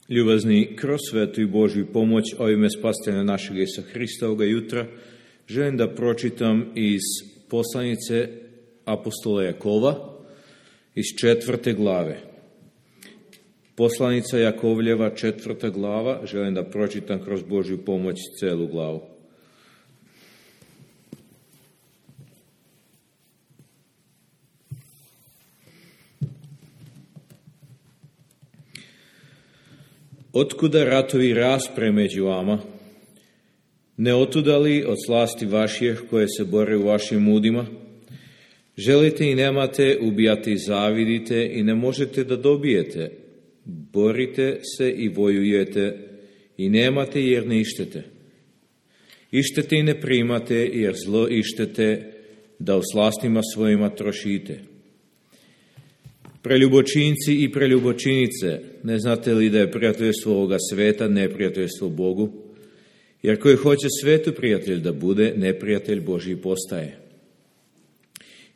Ljubazni, kroz svetu i Božju pomoć ovime spasitelja našeg Isusa Hrista ovoga jutra želim da pročitam iz poslanice apostola Jakova iz 4. glave. Poslanica Jakovljeva, 4. glava, želim da pročitam kroz Božju pomoć celu glavu. Otkuda ratovi raspre među vama? Ne otuda li od slasti vaših koje se bore u vašim udima? Želite i nemate, ubijate i zavidite i ne možete da dobijete. Borite se i vojujete i nemate jer ne ištete. Ištete i ne primate jer zlo ištete da u slastima svojima trošite. Preljubočinci i preljubočinice, ne znate li da je prijateljstvo ovoga sveta neprijateljstvo Bogu? Jer koji hoće svetu prijatelj da bude, neprijatelj Božji postaje.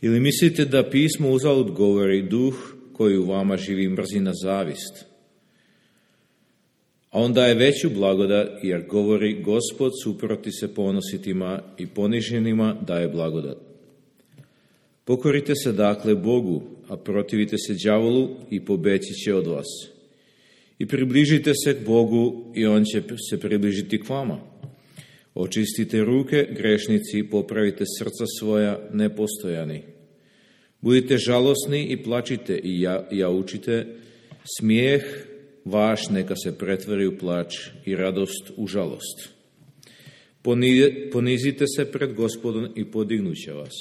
Ili mislite da pismo uzalud govori, duh koji u vama živi mrzi na zavist? A on daje veću blagodat, jer govori, Gospod suproti se ponositima i poniženima daje blagodat. Pokorite se dakle Bogu, a protivite se đavolu i pobeći će od vas. I približite se k Bogu i on će se približiti k vama. Očistite ruke, grešnici, popravite srca svoja, nepostojani. Budite žalosni i plačite i jaučite, smijeh vaš neka se pretvori u plač i radost u žalost. Ponizite se pred Gospodom i podignuće vas.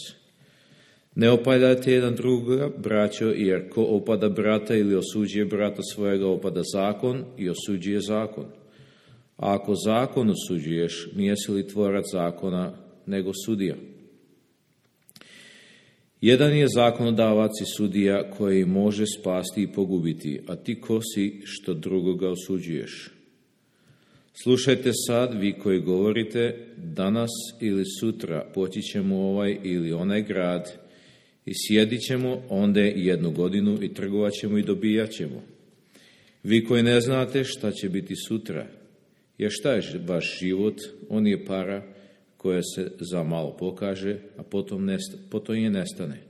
Ne opadajte jedan drugoga, braćo, jer ko opada brata ili osuđuje brata svojega, opada zakon i osuđuje zakon. A ako zakon osuđuješ, nijesi li tvorac zakona, nego sudija? Jedan je zakonodavac i sudija koji može spasti i pogubiti, a ti ko si što drugoga osuđuješ? Slušajte sad, vi koji govorite, danas ili sutra poći ćemo u ovaj ili onaj grad i sjedit ćemo onde 1 godinu i trgovat ćemo i dobijat ćemo. Vi koji ne znate šta će biti sutra, jer šta je vaš život, on je para koja se za malo pokaže, a potom je nestane.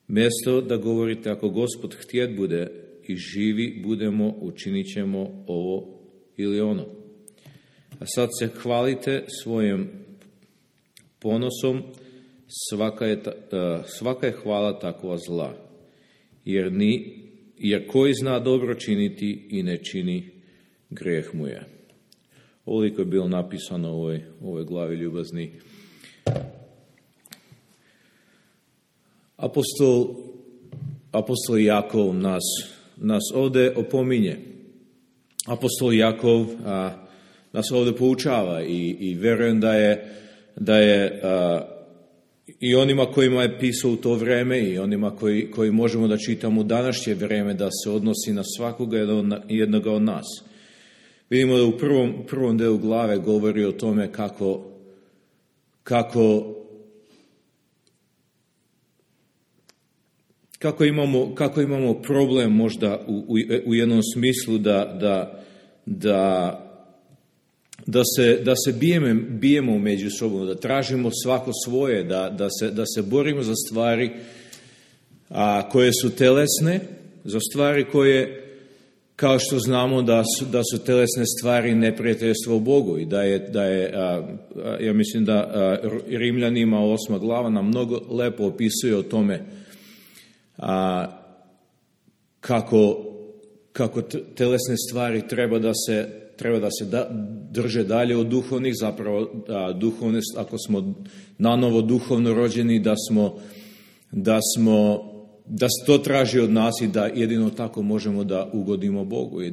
Mjesto da govorite, ako Gospod htjet bude i živi budemo, učinit ćemo ovo ili ono. A sad se hvalite svojim ponosom, svaka je hvala takva zla, jer koji zna dobro činiti i ne čini, greh mu je. Ovoliko je bilo napisano u ovoj glavi, ljubazni. Apostol Jakov nas ovdje opominje. Apostol Jakov nas ovdje poučava i vjerujem da je i onima kojima je pisao u to vrijeme i onima koji možemo da čitamo u današnje vrijeme, da se odnosi na svakoga jednoga od nas. Vidimo da u prvom delu glave govori o tome kako imamo problem možda u jednom smislu da se bijemo među sobom, da tražimo svako svoje, da se borimo za stvari koje su telesne, za stvari koje, kao što znamo da su telesne stvari neprijateljstvo Bogu i da je ja mislim da Rimljanima 8. glava nam mnogo lepo opisuje o tome kako telesne stvari treba da se drže dalje od duhovnih, zapravo duhovne, ako smo nanovo duhovno rođeni, da se to traži od nas i da jedino tako možemo da ugodimo Bogu i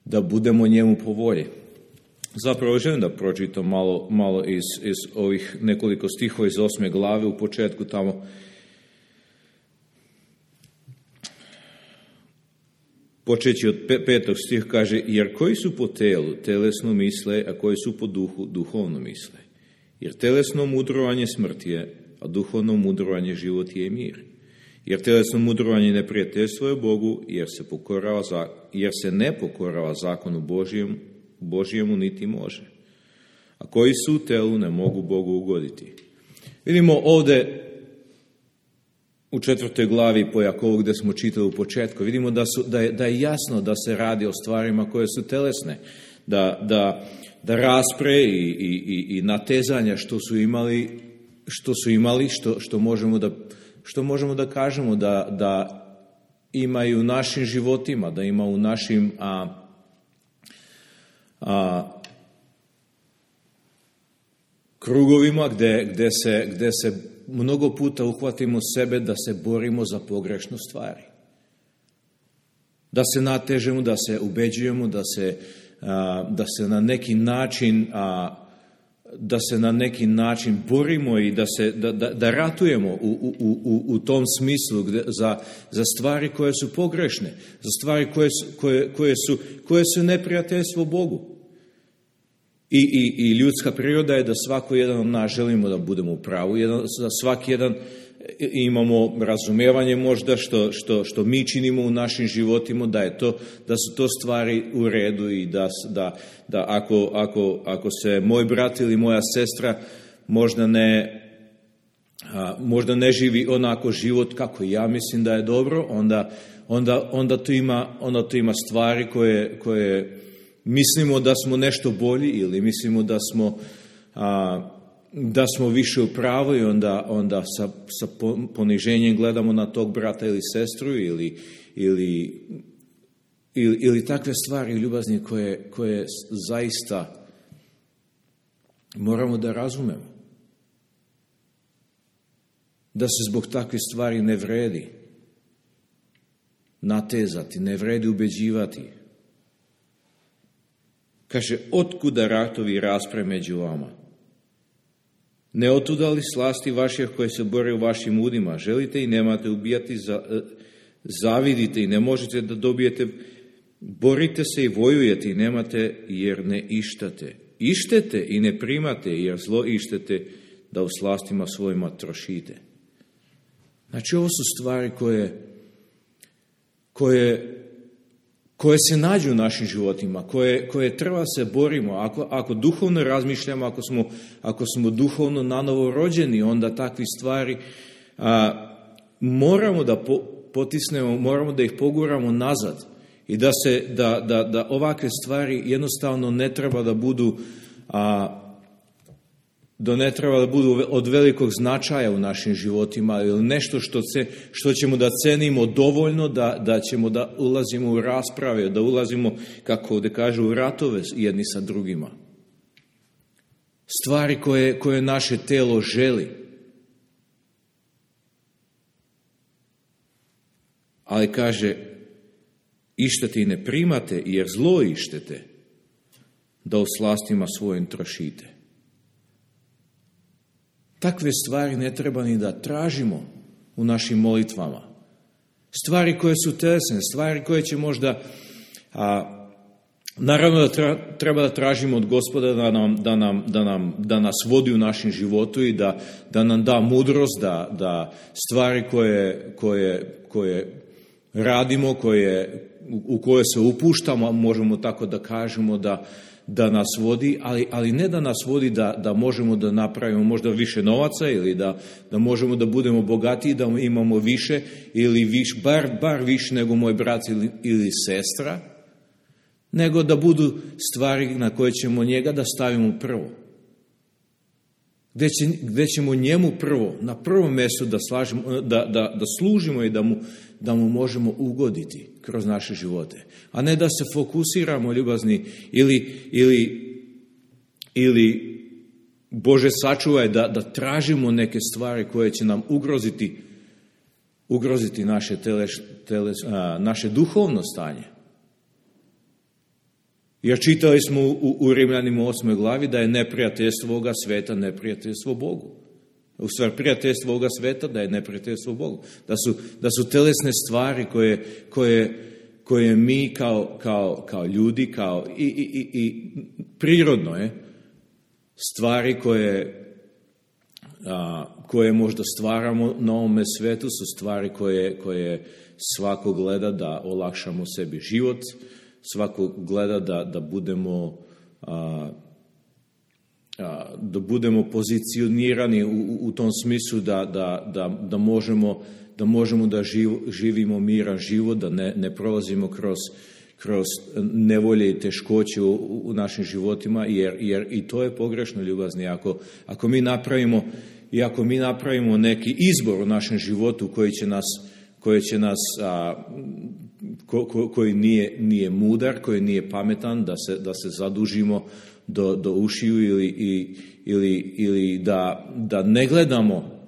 da budemo njemu po volji. Zapravo želim da pročitam malo iz ovih nekoliko stihova iz 8. glave u početku tamo. Počeći od 5. stih kaže, jer koji su po telu, telesno misle, a koji su po duhu, duhovno misle. Jer telesno mudrovanje smrt je, a duhovno mudrovanje život je i mir. Jer tjelesno mudrovanje i neprijateljstvo je Bogu, jer se ne pokorava zakonu Božjemu niti može. A koji su u telu ne mogu Bogu ugoditi. Vidimo ovdje u 4. glavi po Jakovu gdje smo čitali u početku, vidimo da je jasno da se radi o stvarima koje su telesne, da raspre i natezanja što možemo da kažemo da imaju u našim životima, da ima u našim krugovima gdje se mnogo puta uhvatimo sebe da se borimo za pogrešnu stvari. Da se natežemo, da se ubeđujemo, da se na neki način borimo i da ratujemo u tom smislu za stvari koje su pogrešne, za stvari koje su neprijateljstvo Bogu. I ljudska priroda je da svako jedan od nas želimo da budemo u pravu, za svaki jedan imamo razumijevanje možda što mi činimo u našim životima, da su to stvari u redu i da ako se moj brat ili moja sestra možda ne živi onako život kako ja mislim da je dobro, onda tu ima stvari koje mislimo da smo nešto bolji ili mislimo da smo više u pravu i onda sa poniženjem gledamo na tog brata ili sestru ili takve stvari ljubazni koje zaista moramo da razumemo. Da se zbog takvih stvari ne vredi natezati, ne vredi ubeđivati. Kaže, otkuda ratovi i raspre među vama? Ne otuda li slasti vaših koje se bore u vašim udima? Želite i nemate ubijati, zavidite i ne možete da dobijete, borite se i vojujete i nemate jer ne ištate. Ištete i ne primate jer zlo ištete da u slastima svojima trošite. Znači, ovo su stvari koje se nađu u našim životima, koje treba se borimo. Ako duhovno razmišljamo, ako smo duhovno nanovo rođeni, onda takvi stvari moramo da potisnemo, moramo da ih poguramo nazad i da ovakve stvari jednostavno ne treba da budu od velikog značaja u našim životima ili nešto što ćemo da cenimo dovoljno da ćemo da ulazimo u rasprave, da ulazimo, kako ovdje kažu, u ratove jedni sa drugima. Stvari koje naše telo želi. Ali kaže, ištete i ne primate jer zlo ištete da u slastima svojim trošite. Takve stvari ne treba ni da tražimo u našim molitvama. Stvari koje su telesne, stvari koje će možda, naravno da treba da tražimo od Gospoda da nas vodi u našem životu i da nam da mudrost, da stvari koje radimo, u koje se upuštamo, možemo tako da kažemo da nas vodi, ali ne da nas vodi da možemo da napravimo možda više novaca ili da možemo da budemo bogatiji, da imamo više ili bar više nego moj brat ili sestra, nego da budu stvari na koje ćemo njega da stavimo prvo. Gdje ćemo njemu prvo, na prvom mjestu da služimo i da mu možemo ugoditi kroz naše živote. A ne da se fokusiramo, ljubazni, ili Bože sačuvaj, da tražimo neke stvari koje će nam ugroziti naše duhovno stanje. Jer čitali smo u Rimljanima 8. glavi da je neprijateljstvo ovoga sveta neprijateljstvo Bogu. U stvari, prijateljstvo ovoga sveta da je neprijateljstvo Bogu. Da su telesne stvari koje mi kao ljudi, i prirodno je, stvari koje možda stvaramo na ovome svetu su stvari koje svako gleda da olakšamo sebi život, svako gleda da budemo pozicionirani u tom smislu da možemo da živimo miran život, da ne prolazimo kroz nevolje i teškoće u našim životima, jer i to je pogrešno, ljubazni. Ako mi napravimo neki izbor u našem životu koji nije mudar, koji nije pametan, da se zadužimo do ušiju ili da ne gledamo,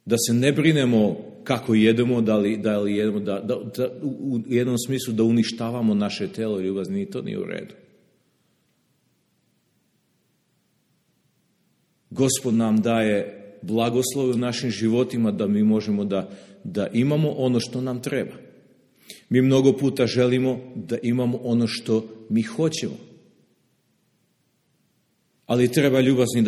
da se ne brinemo kako jedemo, da li jedemo, da u jednom smislu da uništavamo naše telo, ljubazni, to nije u redu. Gospod nam daje blagoslov u našim životima da mi možemo da imamo ono što nam treba. Mi mnogo puta želimo da imamo ono što mi hoćemo. Ali treba, ljubazni,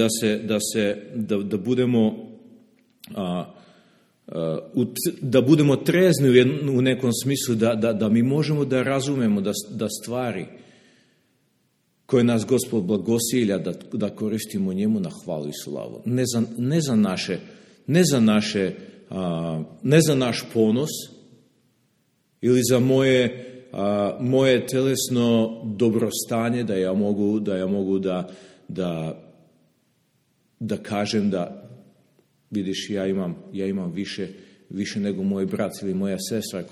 da budemo trezni u nekom smislu, da mi možemo da razumemo da stvari koje nas Gospod blagosilja, da koristimo njemu na hvalu i slavu. Ne za naš ponos ili za moje telesno dobrostanje, da ja mogu da kažem da vidiš, ja imam više nego moj brat ili moja sestra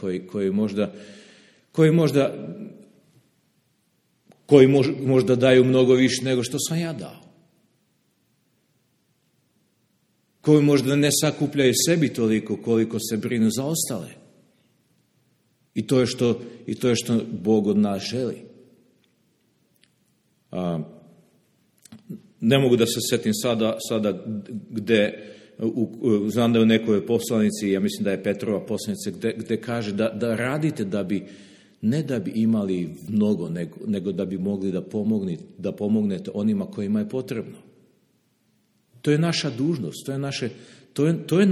koji možda daju mnogo više nego što sam ja dao. Koji možda ne sakupljaju sebi toliko koliko se brinu za ostale. I to je što Bog od nas želi. Ne mogu da se setim sada gde, znam da je u nekoj poslanici, ja mislim da je Petrova poslanica, gde kaže da radite ne da bi imali mnogo, nego da bi mogli da pomognete onima kojima je potrebno. To je naša dužnost, to je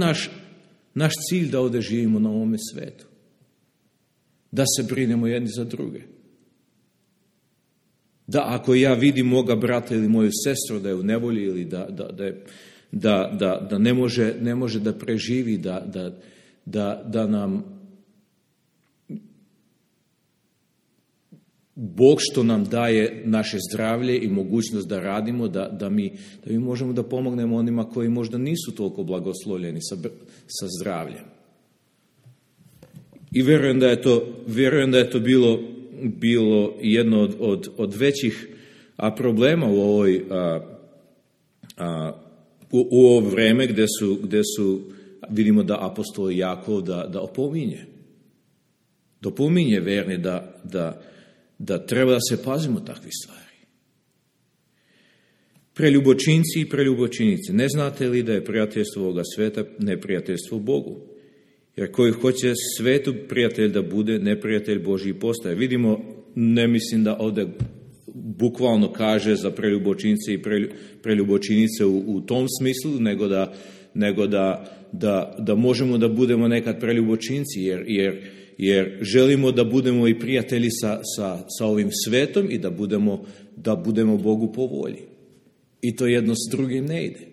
naš cilj da ovdje živimo na ovome svetu. Da se brinemo jedni za druge. Da ako ja vidim moga brata ili moju sestru da je u nevolji ili da ne može da preživi, da nam Bog što nam daje naše zdravlje i mogućnost da radimo, da mi možemo da pomognemo onima koji možda nisu toliko blagoslovljeni sa zdravljem. I vjerujem da je to bilo jedno od većih problema u ovo vreme gdje su vidimo da apostol Jakov da opominje verni da treba da se pazimo takvih stvari. Preljubočinci i preljubočinice, ne znate li da je prijateljstvo ovoga sveta neprijateljstvo Bogu? Jer koji hoće svetu prijatelj da bude, neprijatelj Božji postaje. Vidimo, ne mislim da ovdje bukvalno kaže za preljubočince i preljubočinice u tom smislu, nego da možemo da budemo nekad preljubočinci, jer želimo da budemo i prijatelji sa ovim svetom i da budemo Bogu po volji. I to jedno s drugim ne ide.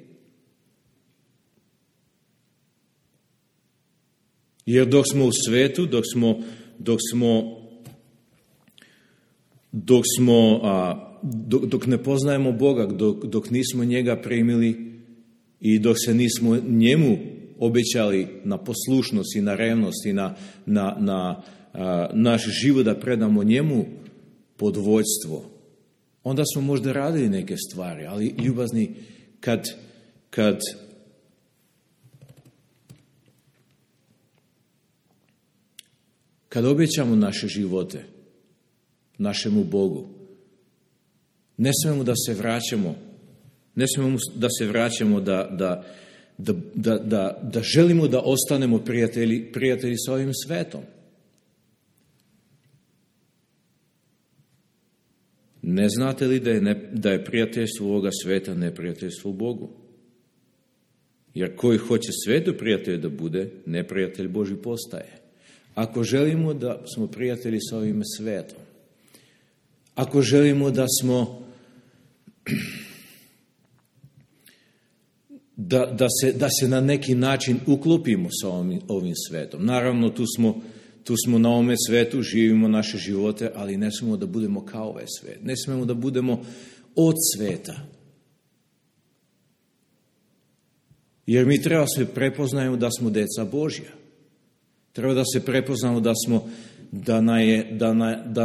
Jer dok smo u svetu, dok ne poznajemo Boga, dok nismo njega primili i dok se nismo njemu obećali na poslušnost i na revnost i na naš život da predamo njemu pod vođstvo, onda smo možda radili neke stvari, ali ljubazni, kad obećamo naše živote našemu Bogu, ne smemo da se vraćamo da želimo da ostanemo prijatelji sa ovim svetom. Ne znate li da je prijateljstvo ovoga sveta neprijateljstvo Bogu? Jer koji hoće svetu prijatelj da bude, neprijatelj Boži postaje. Ako želimo da smo prijatelji sa ovim svetom, ako želimo da smo da se na neki način uklopimo sa ovim svetom. Naravno, tu smo na ovome svetu, živimo naše živote, ali ne smemo da budemo kao ovaj svet. Ne smemo da budemo od sveta. Jer mi treba se prepoznajemo da smo deca Božja. Treba da se prepoznamo da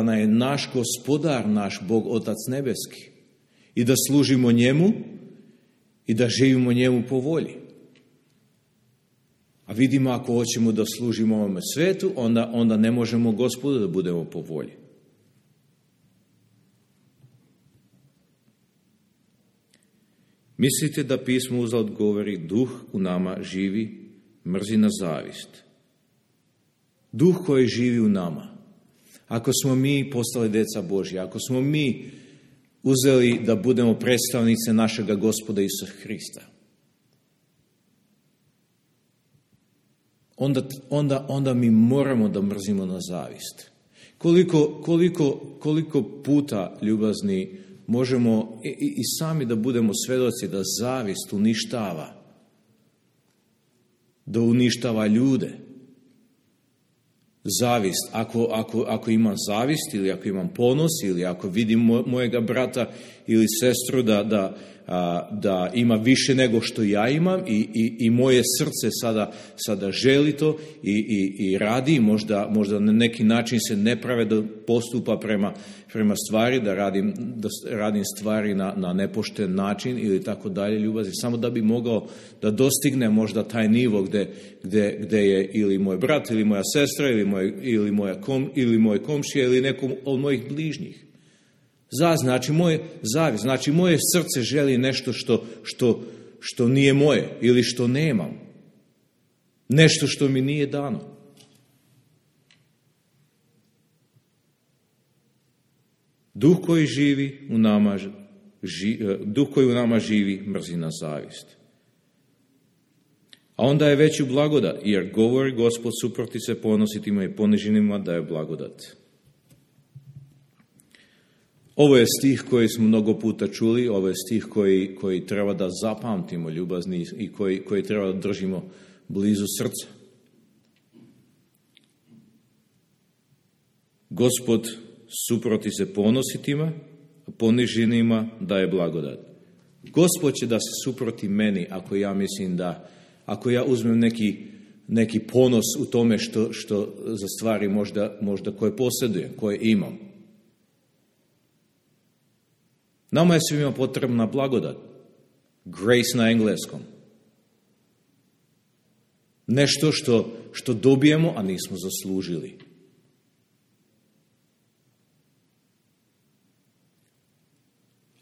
nam je naš Gospodar, naš Bog, Otac nebeski. I da služimo njemu i da živimo njemu po volji. A vidimo, ako hoćemo da služimo ovome svetu, onda ne možemo Gospodu da budemo po volji. Mislite da pismo uzalud govori, duh u nama živi, mrzi na zavist. Duh koji živi u nama. Ako smo mi postali deca Božja, ako smo mi uzeli da budemo predstavnice našega Gospoda Isusa Hrista, onda mi moramo da mrzimo na zavist. Koliko puta, ljubazni, možemo i sami da budemo svedoci da zavist uništava ljude. Zavist, ako imam zavist ili ako imam ponos ili ako vidim mojega brata ili sestru da ima više nego što ja imam i moje srce sada želi to i radi, možda na neki način se nepravedno postupa prema stvari, da radim stvari na nepošten način ili tako dalje, ljubavi, samo da bi mogao da dostigne možda taj nivo gde je ili moj brat ili moja sestra ili moj komšija ili nekom od mojih bližnjih. Znači moje srce želi nešto što nije moje ili što nemam. Nešto što mi nije dano. Duh koji u nama živi mrzi na zavist. A onda je veću blagodat, jer govori Gospod suproti se ponositima i poniženima da je blagodat. Ovo je stih koji smo mnogo puta čuli, ovo je stih koji treba da zapamtimo, ljubazni, i koji treba da držimo blizu srca. Gospod suproti se ponositima, a poniženima daje blagodat. Gospod će da se suproti meni ako ja uzmem neki ponos u tome što za stvari možda koje posjedujem, koje imam. Nama je svima potrebna blagodat. Grace na engleskom. Nešto što dobijemo, a nismo zaslužili.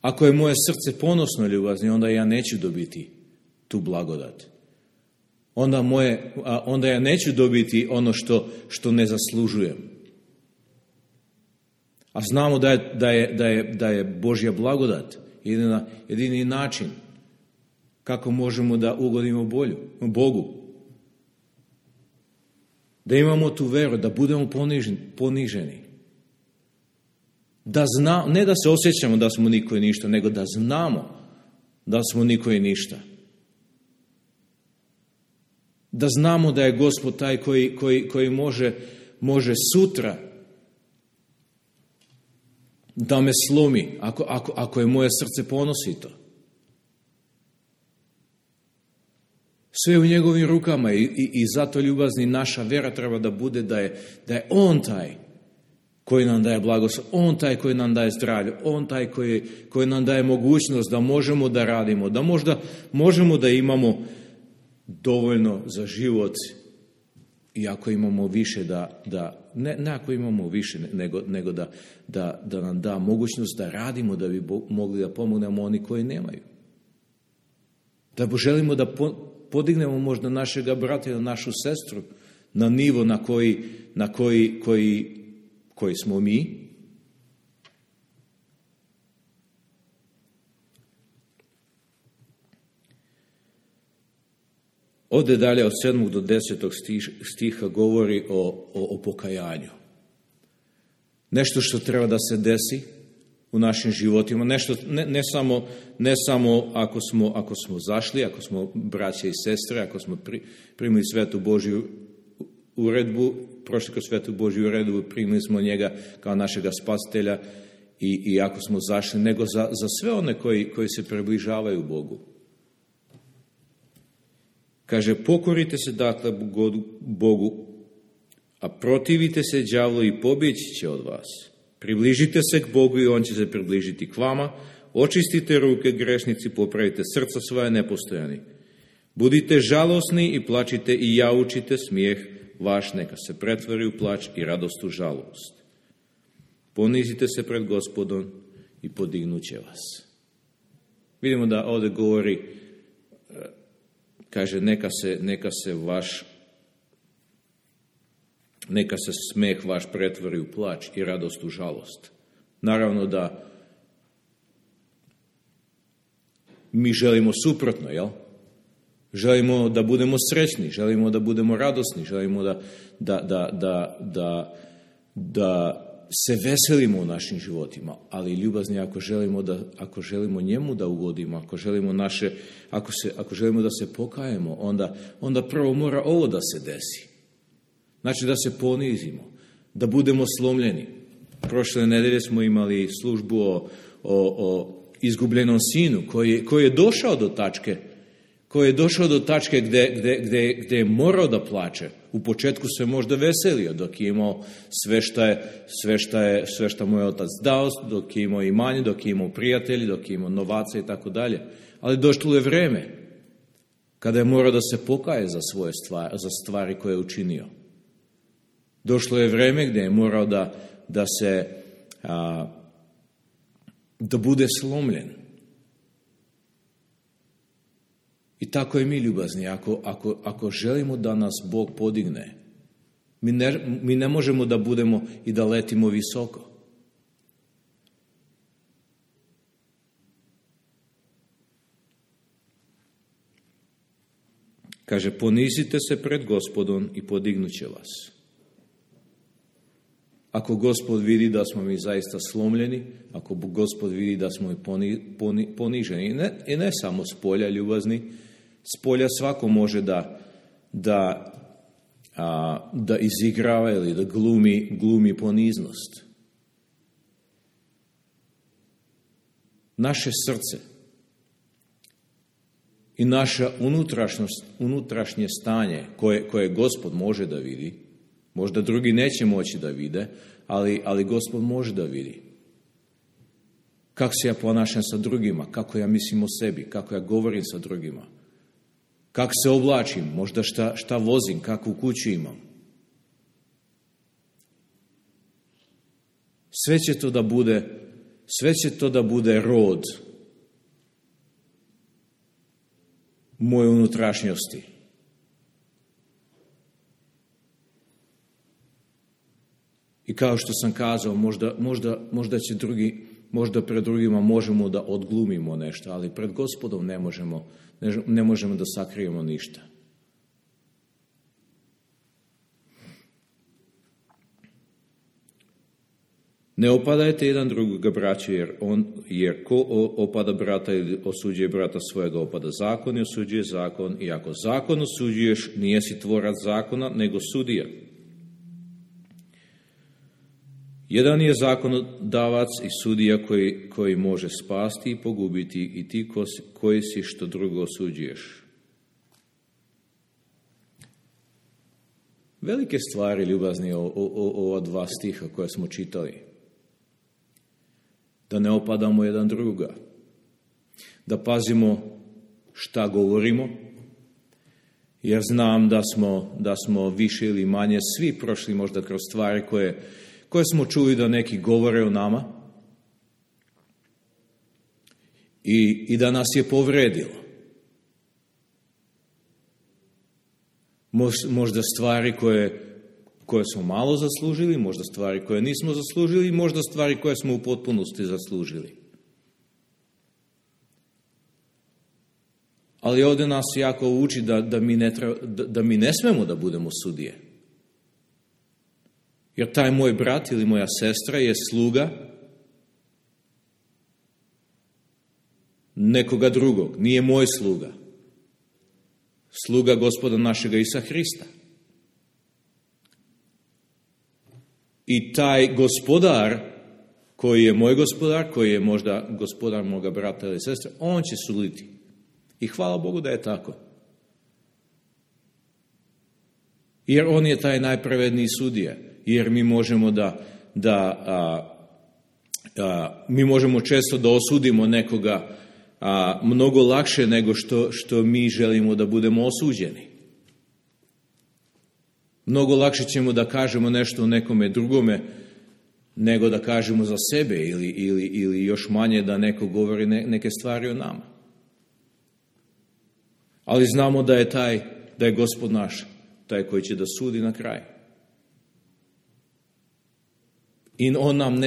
Ako je moje srce ponosno, ljubazni, onda ja neću dobiti tu blagodat. Onda ja neću dobiti ono što ne zaslužujem. A znamo da je Božja blagodat jedini način kako možemo da ugodimo Bogu. Da imamo tu veru, da budemo poniženi. Ne da se osjećamo da smo niko i ništa, nego da znamo da smo niko i ništa. Da znamo da je Gospod taj koji može sutra da me slomi, ako je moje srce ponosito. Sve u njegovim rukama i zato, ljubazni, naša vera treba da bude da je On taj koji nam daje blagoslov, On taj koji nam daje zdravlje, On taj koji nam daje mogućnost da možemo da radimo, da možda možemo da imamo dovoljno za život, i ako imamo više ne ako imamo više, nego da nam da mogućnost da radimo, da bi mogli da pomognemo oni koji nemaju. Da želimo da podignemo možda našega brata ili našu sestru na nivo na koji smo mi. Ovdje dalje od 7. do 10. stiha govori o pokajanju. Nešto što treba da se desi u našim životima, nešto, ne samo ako smo zašli, ako smo braće i sestre, ako smo primili svetu Božju uredbu, prošli kroz svetu Božju uredbu, primili smo njega kao našega spasitelja i ako smo zašli, nego za sve one koji se približavaju Bogu. Kaže, pokorite se dakle Bogu, a protivite se đavlu i pobjeći će od vas. Približite se k Bogu i on će se približiti k vama. Očistite ruke grešnici, popravite srca svoja nepostojani. Budite žalosni i plačite i jaučite, smijeh vaš neka se pretvori u plač i radost u žalost. Ponizite se pred Gospodom i podignut će vas. Vidimo da ovdje govori, kaže, neka se smeh vaš pretvori u plač i radost u žalost. Naravno da mi želimo suprotno, jel? Želimo da budemo srećni, želimo da budemo radosni, želimo da se veselimo u našim životima, ali ljubazni, ako želimo njemu da ugodimo, ako želimo da se pokajemo, onda prvo mora ovo da se desi. Znači da se ponizimo, da budemo slomljeni. Prošle nedelje smo imali službu o izgubljenom sinu koji je došao do tačke gdje je morao da plače. U početku se možda veselio dok je imao sve što mu je otac dao, dok je imao imanje, dok je imao prijatelji, dok je imao novaca i tako dalje. Ali došlo je vreme kada je morao da se pokaje za stvari koje je učinio. Došlo je vreme gdje je morao da bude slomljen. I tako i mi, ljubazni, ako želimo da nas Bog podigne, mi ne možemo da budemo i da letimo visoko. Kaže, ponizite se pred Gospodom i podignut će vas. Ako Gospod vidi da smo mi zaista slomljeni, ako Gospod vidi da smo poniženi, i ne samo s polja, ljubazni, s polja svako može da izigrava ili da glumi poniznost. Naše srce i naša unutrašnje stanje koje Gospod može da vidi, možda drugi neće moći da vide, ali Gospod može da vidi. Kako se ja ponašam sa drugima, kako ja mislim o sebi, kako ja govorim sa drugima, kako se oblačim, možda šta vozim, kakvu kuću imam. Sve će to da bude rod moje unutrašnjosti. I kao što sam kazao, možda će možda pred drugima možemo da odglumimo nešto, ali pred Gospodom ne možemo da sakrijemo ništa. Ne opadajte jedan drugoga, braće, jer ko opada brata ili osuđuje brata svojega, opada zakon i osuđuje zakon. I ako zakon osuđuješ, nijesi tvorac zakona, nego sudija. Jedan je zakonodavac i sudija koji može spasti i pogubiti, i ti koji si što drugo osuđuješ. Velike stvari, ljubazni, ova dva stiha koje smo čitali. Da ne opadamo jedan drugoga. Da pazimo šta govorimo, jer znam da smo više ili manje svi prošli možda kroz stvari koje smo čuli da neki govore o nama i da nas je povredilo. Možda stvari koje smo malo zaslužili, možda stvari koje nismo zaslužili, možda stvari koje smo u potpunosti zaslužili. Ali ovdje nas jako uči da mi ne smemo da budemo sudije. Jer taj moj brat ili moja sestra je sluga nekoga drugog. Nije moj sluga. Sluga Gospoda našega Isusa Hrista. I taj gospodar, koji je moj gospodar, koji je možda gospodar moga brata ili sestre, on će suditi. I hvala Bogu da je tako. Jer on je taj najpravedniji sudija. Jer mi možemo mi možemo često da osudimo nekoga mnogo lakše nego što mi želimo da budemo osuđeni. Mnogo lakše ćemo da kažemo nešto o nekome drugome nego da kažemo za sebe ili još manje da neko govori neke stvari o nama. Ali znamo da je Gospod naš taj koji će da sudi na kraju. I on nam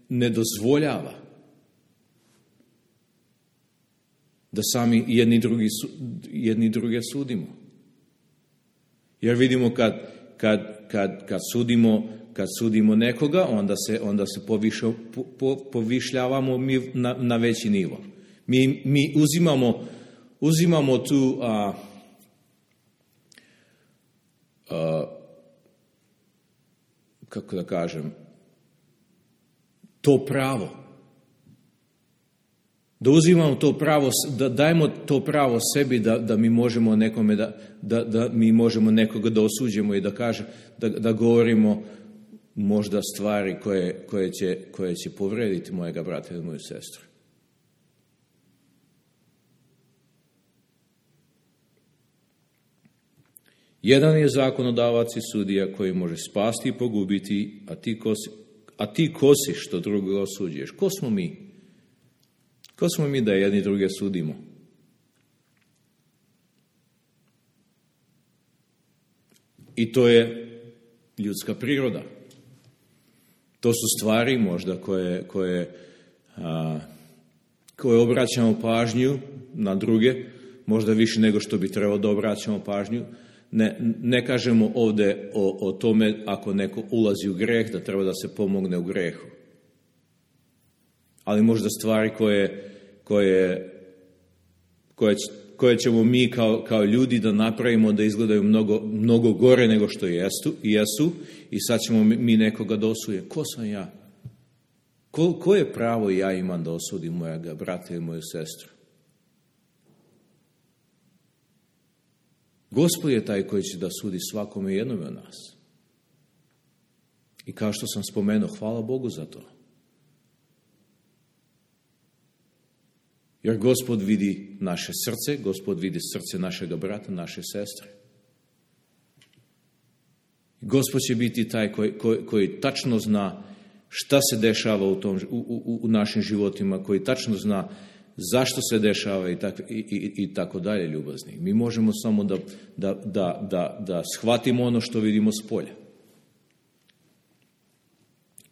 ne dozvoljava da sami jedni druge sudimo. Jer vidimo kad sudimo nekoga, onda se povišljavamo mi na veći nivo. Mi uzimamo tu kako da kažem, to pravo. Da uzimamo to pravo, da dajemo to pravo sebi da mi možemo nekome da mi možemo nekoga da osuđujemo i da govorimo možda stvari koje će povrediti mojega brata ili moju sestru. Jedan je zakonodavac i sudija koji može spasti i pogubiti, a ti ko si što drugoga osuđuješ? Ko smo mi? Ko smo mi da jedni druge sudimo? I to je ljudska priroda. To su stvari možda koje obraćamo pažnju na druge, možda više nego što bi trebalo da obraćamo pažnju. Ne kažemo ovdje o tome ako neko ulazi u greh, da treba da se pomogne u grehu. Ali možda stvari koje ćemo mi kao ljudi da napravimo da izgledaju mnogo gore nego što jesu i sad ćemo mi nekoga da osudimo. Ko sam ja? Koje pravo ja imam da osudim mojega brata ili moju sestru? Gospod je taj koji će da sudi svakome i jednome od nas. I kao što sam spomenuo, hvala Bogu za to. Jer Gospod vidi naše srce, Gospod vidi srce našega brata, naše sestre. Gospod će biti taj koji tačno zna šta se dešava u našim životima, koji tačno zna zašto se dešava i tako dalje, ljubazni. Mi možemo samo da shvatimo ono što vidimo s polja.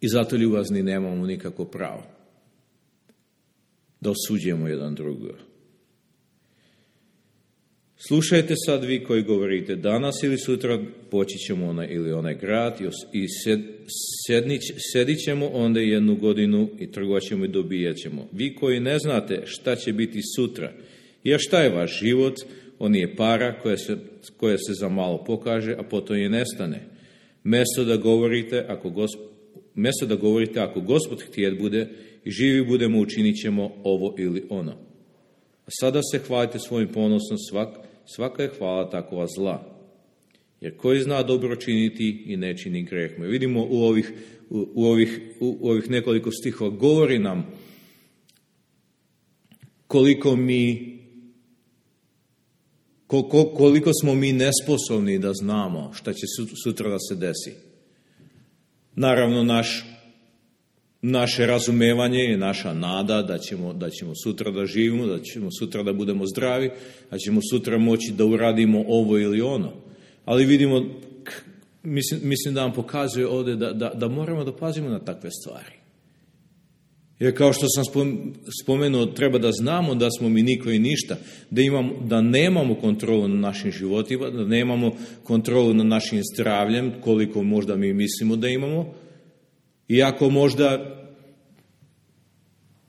I zato, ljubazni, nemamo nikako pravo da osuđujemo jedan drugoga. Slušajte sad vi koji govorite, danas ili sutra poći ćemo onaj ili onaj grad i sedit ćemo onda 1 godinu i trgovat ćemo i dobijat ćemo. Vi koji ne znate šta će biti sutra, jer šta je vaš život, on je para koja se za malo pokaže, a potom je nestane. Mesto da govorite, ako Gospod htjet bude i živi budemo, učinit ćemo ovo ili ono. A sada se hvalite svojim ponosom, svaka je hvala takova zla. Jer koji zna dobro činiti i ne čini greh. Mi vidimo u ovih nekoliko stihova govori nam koliko smo mi nesposobni da znamo šta će sutra da se desi. Naravno, naše razumevanje je naša nada da ćemo sutra da živimo, da ćemo sutra da budemo zdravi, da ćemo sutra moći da uradimo ovo ili ono. Ali vidimo, mislim da vam pokazuje ovdje da moramo da pazimo na takve stvari. Jer kao što sam spomenuo, treba da znamo da smo mi niko i ništa, da nemamo kontrolu na našim životima, da nemamo kontrolu na našim zdravljem, koliko možda mi mislimo da imamo. Iako možda,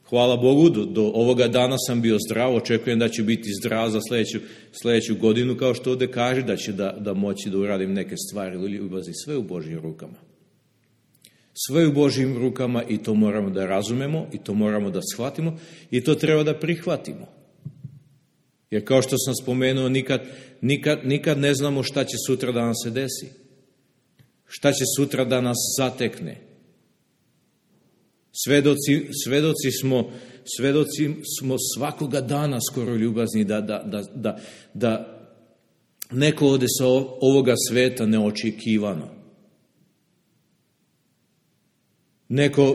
hvala Bogu, do ovoga dana sam bio zdrav, očekujem da ću biti zdrav za sljedeću godinu, kao što ovdje kaže, da će da moći da uradim neke stvari u ljubavi, sve u Božjim rukama. Sve u Božjim rukama i to moramo da razumemo i to moramo da shvatimo i to treba da prihvatimo. Jer kao što sam spomenuo, nikad ne znamo šta će sutra da nam se desi. Šta će sutra da nas zatekne. Svedoci smo svakoga dana skoro ljubazni da neko ode sa ovoga sveta neočekivano.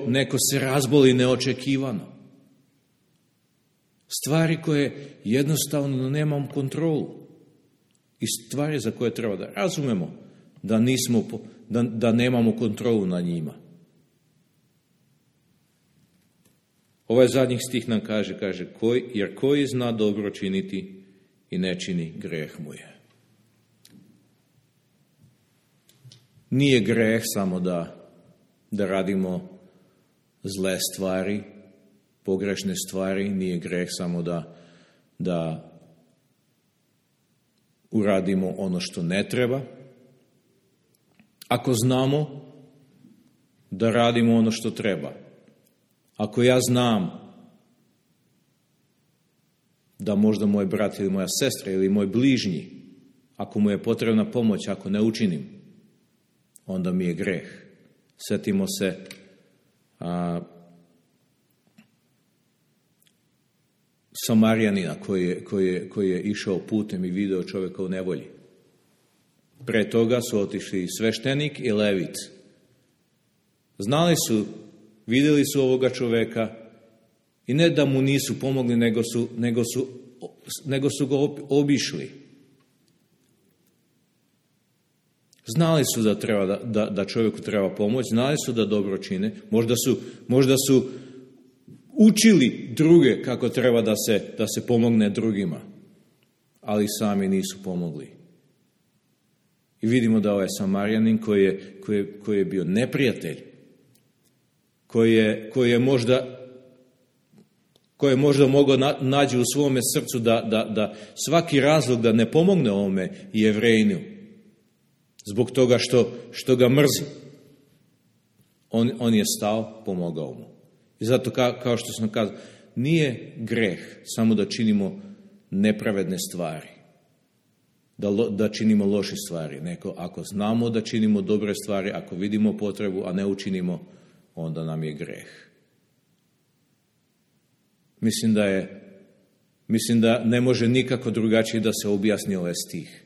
Neko se razboli neočekivano. Stvari koje jednostavno nemamo kontrolu. I stvari za koje treba da razumemo da nemamo kontrolu na njima. Ovaj zadnji stih nam kaže jer koji zna dobro činiti i ne čini, greh mu je. Nije greh samo da radimo zle stvari, pogrešne stvari, nije greh samo da uradimo ono što ne treba. Ako znamo da radimo ono što treba, ako ja znam da možda moj brat ili moja sestra ili moj bližnji, ako mu je potrebna pomoć, ako ne učinim, onda mi je greh. Sjetimo se Samarijanina koji je išao putem i video čovjeka u nevolji. Pre toga su otišli sveštenik i levit. Vidjeli su ovoga čovjeka i ne da mu nisu pomogli, nego su ga obišli. Znali su da čovjeku treba pomoć, znali su da dobro čine, možda su učili druge kako treba da se pomogne drugima, ali sami nisu pomogli. I vidimo da ovaj Samarijanin koji je bio neprijatelj, koji je možda mogao naći u svome srcu da svaki razlog da ne pomogne ovome Jevrejinu, zbog toga što ga mrzi. On je stao, pomogao mu. I zato, kao što sam kazao, nije greh samo da činimo nepravedne stvari, da činimo loše stvari. Ako znamo da činimo dobre stvari, ako vidimo potrebu, a ne učinimo, onda nam je greh. Mislim da ne može nikako drugačije da se objasni ovaj stih.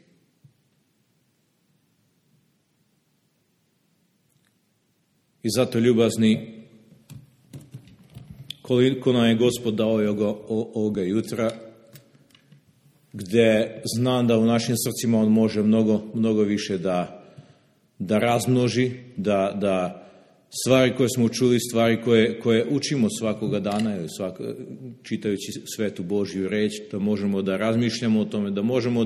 I zato, ljubazni, koliko nam je Gospod dao ovoga jutra, gdje znam da u našim srcima On može mnogo više da razmnoži, da stvari koje smo čuli, stvari koje učimo svakoga dana, ili čitajući svetu Božju reč, da možemo da razmišljamo o tome, da možemo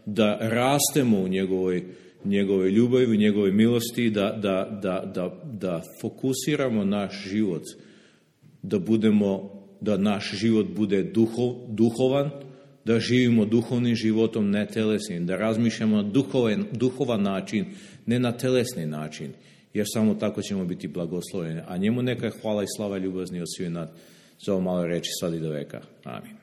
da rastemo u njegovoj ljubavi, u njegovoj milosti, da fokusiramo naš život, da naš život bude duhovan, da živimo duhovnim životom, ne telesnim, da razmišljamo na duhovan način, ne na telesni način, jer samo tako ćemo biti blagosloveni. A njemu neka hvala i slava ljubazni od svih nas za ovo malo reči sad i do veka. Amin.